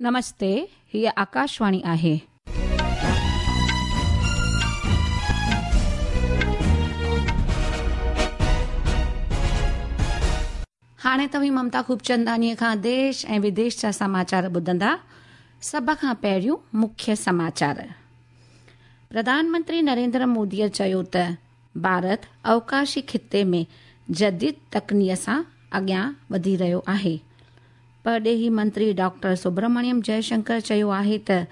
نمستي، هيء آڪاشواڻي آهي. هاڻي توهين ممتا خوبچنداڻيء کان ديش ۽ وديش جا سماچار ٻڌندا. سڀ کان پهريون مکيه سماچار. پرڌان منتري نريندر موديء چيو ته ڀارت اوڪاشي خطي ۾ جديد تڪنيء سان اڳيان وڌي رهيو آهي. پرڏيهي منتري ڊاڪٽر سبرمڻيم جئه شنڪر چيو آهي ته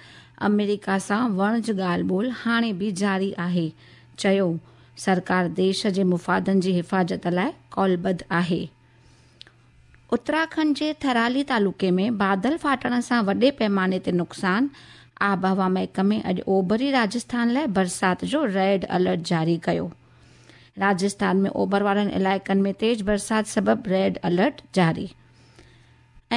آمريڪا سان وڻج ڳالهه ٻولهه هاڻي به جاري آهي، چيو سرڪار ديش جي مفادن جي حفاظت لاء قولبڌ آهي. اتراکنڊ جي ٿرالي تعلقي ۾ بادل ڦاٽڻ سان وڏي پئماني تي نقصان، آبهوا محڪمي اڄ اوڀري راجسٿان لاء برسات جو ريڊ الرٽ جاري ڪيو. راجسٿان ۾ اوڀر وارن علائقن ۾ تيز برسات سبب ريڊ الرٽ جاري.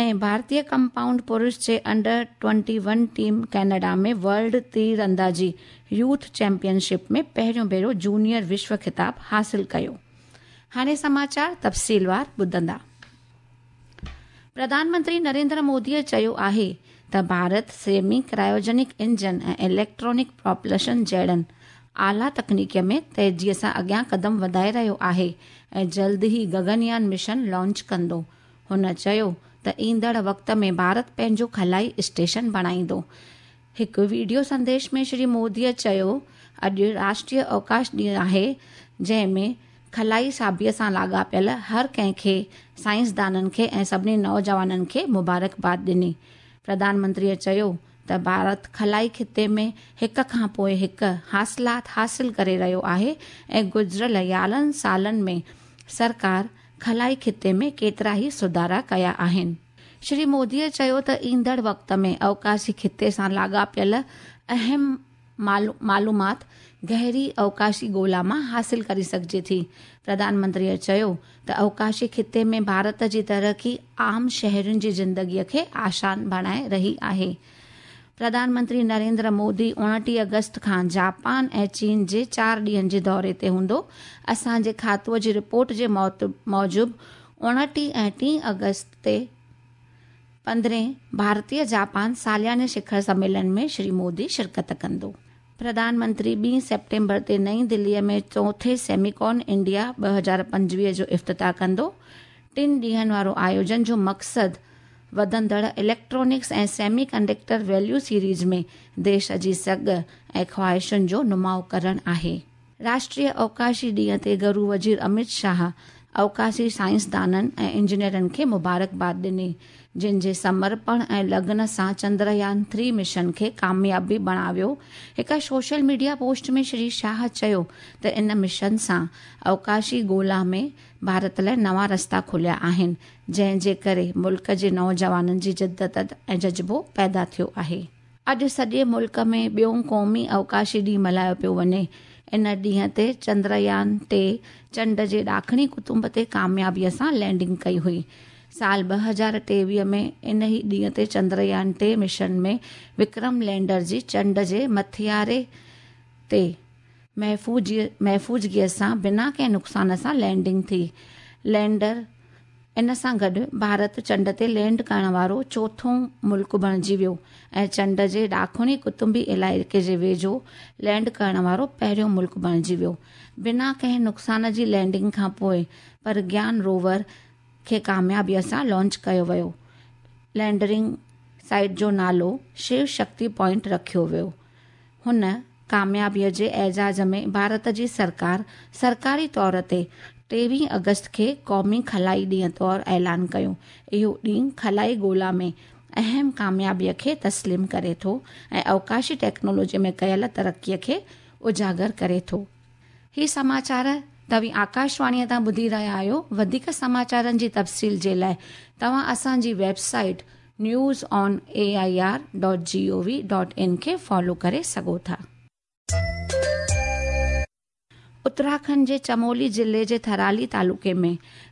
۽ ڀارتي ڪمپائونڊ پرش جي under twenty one team Canada ۾ world تير اندازي يوٿ چيمپيئن شپ ۾ پهريون ڀيرو جونيئر وشو خطاب حاصل ڪيو. هاڻي سماچار تفصيلوار ٻڌندا. پرڌان منتري نريندر موديء چيو آهي ته ڀارت سيمي ڪرائيوجينڪ انجن ۽ اليڪٽرانڪ پراپلشن جهڙن اعليٰ تڪنيڪيء ۾ تيزيء سان اڳيان قدم وڌائي رهيو آهي ۽ جلد ئي گگنيان مشن لانچ ڪندو. هن چيو ته ايندڙ وقت ۾ ڀارت پنهنجو خلائي اسٽيشن بڻائيندو. هڪ وڊيو سنديش ۾ شري موديء چيو اڄ راشٽريه اوڪاش ڏينهن آهي جنهن ۾ خلائي شعبي سان لاڳاپيل هر ڪنهن کي، سائنسدانن کي ۽ سڀني نوجوانن کي مبارڪباد ڏني. پرڌان منتريء چيو ته ڀارت خلائي خطي ۾ هڪ کان پوء هڪ حاصلات حاصل ڪري رهيو آهي ۽ گذريل 11 سالن ۾ سرڪار خلائي خطي ۾ ڪيترا ئي سڌارا ڪيا آهن. شري موديء چيو ته ايندڙ وقت ۾ اوڪاشي خطي سان لاڳاپيل اهم معلومات گهري اوڪاشي ڳولا مان حاصل ڪري سگهجي ٿي. پرڌان منتريء چيو ته اوڪاشي خطي ۾ ڀارت جي ترقي عام شهرين جي زندگيء کي آسان بڻائي رهي آهي. پرڌان منتري نريندر مودي 29 آگسٽ کان جاپان ۽ چين جي چار ڏينهن جي دوري تي هوندو. اسان جي کاتوء جي رپورٽ جي موجب 29 ۽ 30 آگسٽ تي پندرهين ڀارتي جاپان سالياني شکر سميلن ۾ شري مودي شرڪت ڪندو. پرڌان منتري ٻين سيپٽمبر تي نئين دليء ۾ چوٿين سيميڪون انڊيا 2025 جو افتتاح ڪندو. ٽن ڏينهن وارو آيوجن جو مقصد وڌندڙ electronics ۽ semi conductor value series ۾ ديش جي سگهه ۽ خواهشن جو نماء ڪرڻ آهي. راشٽريه اوڪاشي ڏينهن تي گهرو وزير امت شاهه اوڪاشي سائنسدانن ۽ انجنيئرن کي مبارڪباد ڏني، جن جي سمرپڻ ۽ لگن سان چندريان ٿري مشن کي ڪاميابي بڻايو. هڪ social media post ۾ Shri Shah چيو ته ان مشن سان اوڪاشي ڳولا ۾ ڀارت لاء نوان رستا کليا آهن، جنهن جي ڪري ملڪ جي نوجوانن جي جدت ۽ جذبو پيدا ٿيو آهي. اڄ سڄي ملڪ ۾ ٻيون قومي اوڪاشي ڏينهن ملهايو پيو وڃي. ان ڏينهن تي چندريان ٽي چنڊ جي ڏاکڻي قطب تي ڪاميابيء سان لينڊنگ ڪئي هئي. سال 2023 ۾ ان ئي ڏينهن تي چندريان ٽي مشن ۾ وڪرم لينڊر جي چنڊ جي مٿياري تي محفوظگيء سان بنا ڪنهن نقصان سان لينڊنگ ٿي. لينڊر ان سان گڏ ڀارت چنڊ تي لينڊ ڪرڻ وارو چوٿون ملڪ بڻجي ويو ۽ چنڊ جي ڏاکڻي قطبي علائقي جي ويجهو لينڊ ڪرڻ وارو پهريون ملڪ بڻجي ويو. بنا ڪنهن نقصان جي لينڊنگ کان پوء پرگيان روور کي ڪاميابيء سان لانچ ڪيو ويو. لينڊرنگ سائيٽ جو نالو شو شڪتي پوائنٽ رکيو ويو. هن ڪاميابيء جي اعزاز ۾ ڀارت جي سرڪار سرڪاري طور تي 23 آگسٽ کي قومي خلائي ڏينهن طور اعلان ڪيو. اهو ڏينهن خلائي ڳولا ۾ اهم ڪاميابيء کي تسليم ڪري ٿو ۽ اوڪاشي ٽيڪنالاجي ۾ ڪيل ترقيء کي اجاگر ڪري ٿو. هي سماچار توهين آڪاشواڻيء تان ٻڌي رهيا آهيو. وڌيڪ سماچارن جي تفصيل جي لاء توهان اسان جي website news on A I R dot G O V dot in کي فالو ڪري سگهو ٿا. اتراکنڊ جي چمولي ضلعي جي ٿرالي تعلقي ۾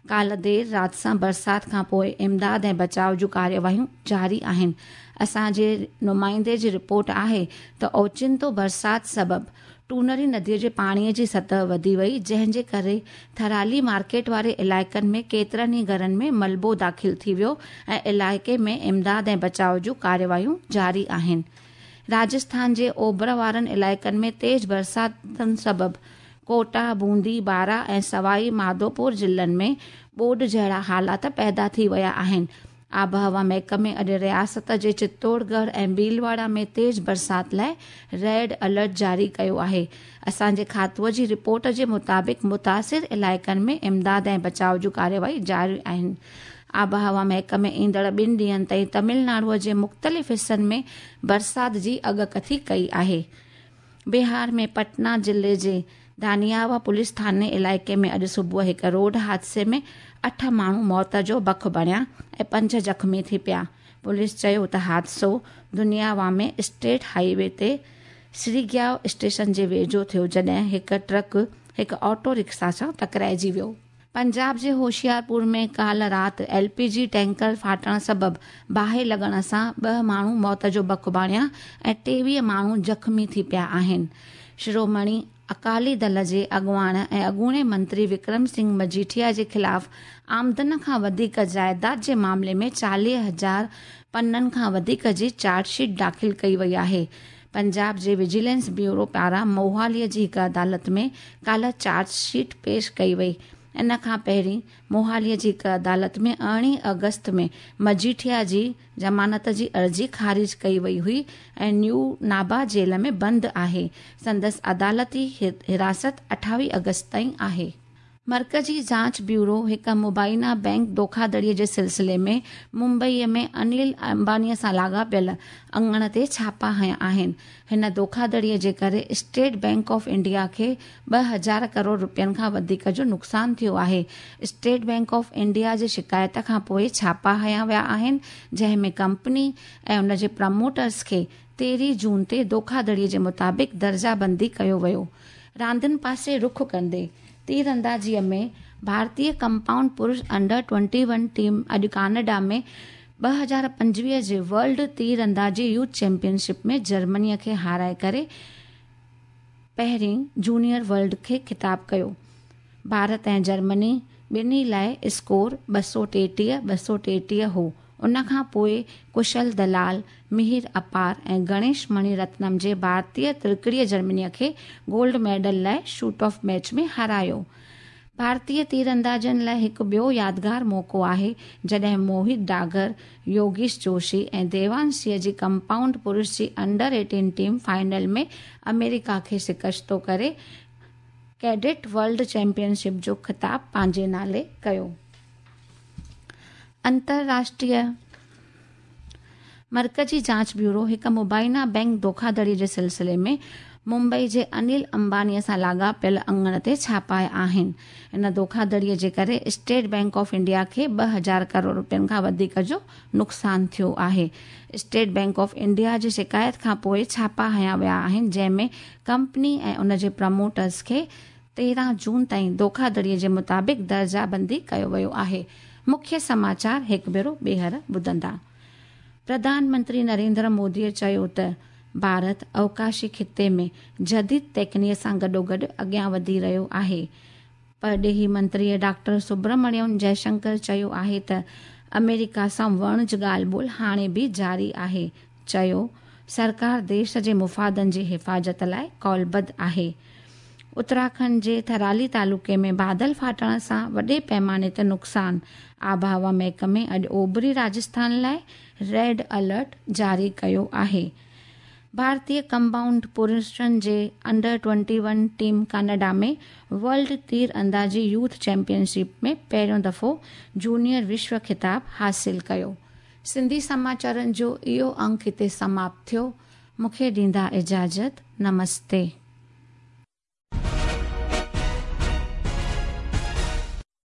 ڪالهه دير رات سان برسات کان پوء امداد ۽ بچاء جون ڪارروايون جاري آهن. اسان جي نمائندي جي رپورٽ آهي ته اوچتو برسات سبب ٽونري نديء جي پاڻيء جي سطح وڌي وئي، جنهن جي ڪري ٿرالي مارڪيٽ واري علائقن ۾ ڪيترن ئي گهرن ۾ ملبو داخل ٿي ويو ۽ علائقي ۾ امداد ۽ بچاء جون ڪارروايون جاري آهن. راجسٿان جي اوڀر وارن علائقن ۾ تيز برساتن سبب ڪوٽا، بوندي، بارا ۽ سوائي ماڌوپور ضلعن ۾ ٻوڏ جهڙا حالات پيدا ٿي ويا آهن. آبهوا محڪمي اڄ رياست جي چتوڙڳڙهه ۽ ڀيلواڙا ۾ تيز برسات لاء ريڊ الرٽ جاري ڪيو آهي. اسان جي کاتوء جي رپورٽ جي مطابق متاثر علائقن ۾ امداد ۽ بچاء جون ڪارروائي جاري آهن. آبهوا محڪمي ايندڙ ٻن ڏينهن تائين تمل ناڊو جي مختلف حصن ۾ برسات جي اڳڪٿي ڪئي آهي. بهار ۾ پٽنا ضلعي جي دانياوا پوليس ٿاڻي علائقي ۾ اڄ صبح هڪ روڊ حادثي ۾ اٺ ماڻهو موت جو بک بڻيا ۽ پنج زخمي ٿي پيا. پوليس چيو ته حادثو دنياوا ۾ اسٽيٽ هاء وي تي سريگياو اسٽيشن جي ويجهو ٿيو جڏهن هڪ ٽرڪ هڪ آٽو رڪشا سان ٽڪرائجي ويو. پنجاب جي هوشيارپور ۾ ڪالهه رات ايل پي جي ٽينڪر ڦاٽڻ سبب باهه لڳڻ سان ٻه ماڻهو موت جو بک بڻيا ۽ 23 ماڻهو زخمي ٿي پيا آهن. شرومڻي اڪالي دل جي اڳواڻ ۽ اڳوڻي منتري وڪرم سنگهه مجيٺيا جي خلاف آمدن کان وڌيڪ جائيداد جي معاملي ۾ 40,000 پنن کان وڌيڪ جي چارج شيٽ داخل ڪئي وئي آهي. پنجاب جي وجيلنس بيورو پاران موهالي جي هڪ عدالت ۾ ڪالهه چارج شيٽ پيش ڪئي وئي. ان کان پهرين موهالي جي هڪ عدالت ۾ 18 آگسٽ ۾ مجيٺيا جي ضمانت جي عرضي خارج ڪئي وئي هئي ۽ نيو نابا جيل ۾ بند آهي. سندس عدالتي حراست 28 آگسٽ تائين آهي. مرڪزي جاچ بيورو هڪ مبينا بئنڪ ڌوکاڌڙي جي سلسلي ۾ ممبئي ۾ انيل امباني سان لاڳاپيل اڱڻ تي ڇاپا هنيا آهن. هن ڌوکاڌڙي جي ڪري اسٽيٽ بئنڪ آف انڊيا کي 2000 ڪروڙ رپين کان وڌيڪ جو نقصان ٿيو آهي. اسٽيٽ بئنڪ آف انڊيا جي شڪايت کان پوء ڇاپا هنيا ويا آهن، جنهن ۾ ڪمپني ۽ ان جي پروموٽرز کي 13 جون تي ڌوکاڌڙي جي مطابق درجه بندي ڪيو ويو. راندين پاسي رخ ڪندي، تيراندازيء ۾ ڀارتي ڪمپائونڊ پرش انڊر 21 ٽيم اڄ ڪئناڊا ۾ 2025 جي ورلڊ تيراندازي يوٿ چيمپيئن شپ ۾ جرمني کي هارائي ڪري پهرين جونيئر ورلڊ کي خطاب ڪيو. ڀارت ۽ جرمني ٻنهي لاء اسڪور 233 233 هو. ان کان پوء ڪشل دلال، مهير اپار ۽ گڻيش مڻي رتنم جي ڀارتي ترڪڙي جرمني کي گولڊ ميڊل لاء شوٽ آف ميچ ۾ هارايو. ڀارتي تيراندازن لاء هڪ ٻيو يادگار موقعو آهي جڏهن موهت ڊاگر، يوگيش جوشي ۽ ديوانشيء جي ڪمپائونڊ پرش جي انڊر 18 ٽيم فائنل ۾ آمريڪا کي شڪستو ڪري ڪيڊٽ ورلڊ چيمپيئن شپ جو خطاب پنهنجي نالي ڪيو. انترراشٽريه مرڪزي جاچ بيورو هڪ مبينا بئنڪ ڌوکاڌڙي جي سلسلي ۾ ممبئي جي انيل امباني سان لاڳاپيل اڱڻ تي ڇاپا آهن. ان ڌوکاڌڙي جي ڪري اسٽيٽ بئنڪ آف انڊيا کي 2000 ڪروڙ رپين کان وڌيڪ جو نقصان ٿيو آهي. اسٽيٽ بئنڪ آف انڊيا جي شڪايت کان پوء ڇاپا هنيا ويا آهن جنهن ۾ ڪمپني ۽ ان جي پروموٽرز کي 13 جون تائين ڌوکاڌڙي جي مطابق درجه بندي ڪيو ويو آهي. مکيه سماچار هڪ ڀيرو ٻيهر ٻڌندا. پرڌان منتري نريندر مودي چيو ته ڀارت اوڪاشي خطي ۾ جديد تيڪنيء سان گڏوگڏ اڳيان وڌي رهيو آهي. پرڏيهي منتري ڊاڪٽر سبرمڻيم جئشنڪر چيو آهي ته آمريڪا سان وڻج ڳالهه ٻولهه هاڻي به جاري آهي. چيو سرڪار ديش جي مفادن جي حفاظت لاء قولبڌ آهي. اتراکنڊ جي ٿرالي تعلقي ۾ بادل ڦاٽڻ سان وڏي پيماني تي نقصان، آبهوا محڪمي اڄ اوڀري راجسٿان لاء ريڊ الرٽ جاري ڪيو آهي. ڀارتي ڪمپائونڊ پرشن جي انڊر 21 ٽيم ڪئناڊا ۾ ورلڊ تير اندازي يوٿ چيمپيئن شپ ۾ پهريون دفعو جونيئر وشو خطاب حاصل ڪيو. سنڌي سماچارن جو اهو انڪ هتي سماپت ٿيو. مون کي ڏيندا اجازت. نمستي.